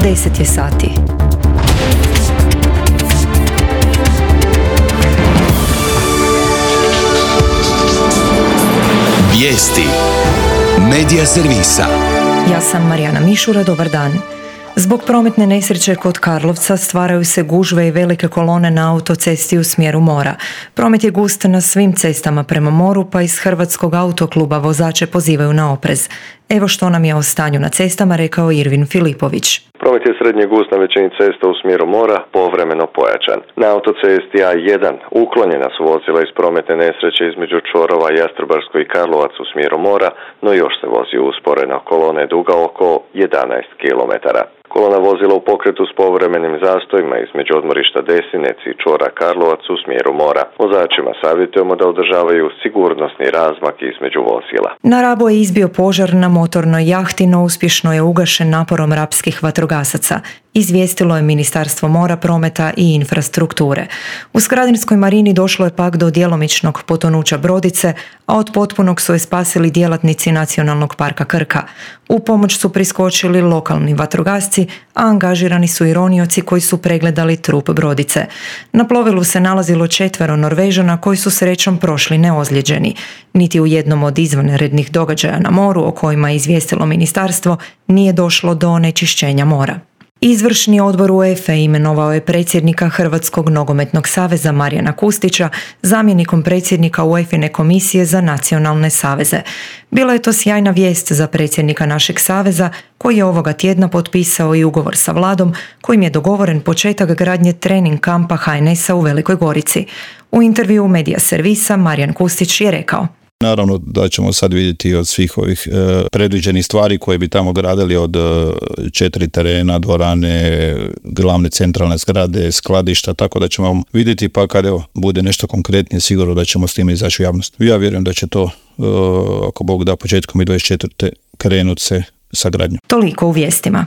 10 je sati. Vijesti Medija servisa. Ja sam Marijana Mišura, dobar dan. Zbog prometne nesreće kod Karlovca stvaraju se gužve i velike kolone na autocesti u smjeru mora. Promet je gust na svim cestama prema moru, pa iz Hrvatskog autokluba vozače pozivaju na oprez. Evo što nam je o stanju na cestama rekao Irvin Filipović. Promet je srednje gust na većini cesta u smjeru mora, povremeno pojačan. Na autocesti A1 uklonjena su vozila iz prometne nesreće između čvorova Jastrebarsko i Karlovac u smjeru mora, no još se vozi usporena. Kolona je duga oko 11 km. Kolona vozila u pokretu s povremenim zastojima između odmorišta Desinec i čvora Karlovac u smjeru mora. Vozačima savjetujemo da održavaju sigurnosni razmak između vozila. Na Rabu je izbio požar na motornoj jahti, no uspješno je ugašen naporom rapskih vatrogasaca. Izvijestilo je Ministarstvo mora, prometa i infrastrukture. U Skradinskoj marini došlo je pak do djelomičnog potonuća brodice, a od potpunog su je spasili djelatnici Nacionalnog parka Krka. U pomoć su priskočili lokalni vatrogasci, a angažirani su i ronioci koji su pregledali trup brodice. Na plovilu se nalazilo 4 Norvežana koji su srećom prošli neozlijeđeni. Niti u jednom od izvanrednih događaja na moru o kojima je izvijestilo ministarstvo nije došlo do onečišćenja mora. Izvršni odbor UEFA imenovao je predsjednika Hrvatskog nogometnog saveza Marijana Kustića zamjenikom predsjednika UEFA-ine komisije za nacionalne saveze. Bila je to sjajna vijest za predsjednika našeg saveza koji je ovoga tjedna potpisao i ugovor sa vladom kojim je dogovoren početak gradnje trening kampa HNS-a u Velikoj Gorici. U intervjuu Medija servisa Marijan Kustić je rekao: Naravno da ćemo sad vidjeti od svih ovih predviđenih stvari koje bi tamo gradili, od 4 terena, dvorane, glavne centralne zgrade, skladišta, tako da ćemo vidjeti, pa kad bude nešto konkretnije sigurno da ćemo s time izaći u javnost. Ja vjerujem da će to, ako Bog da, početkom 2024. krenuti se sa gradnjom. Toliko u vijestima.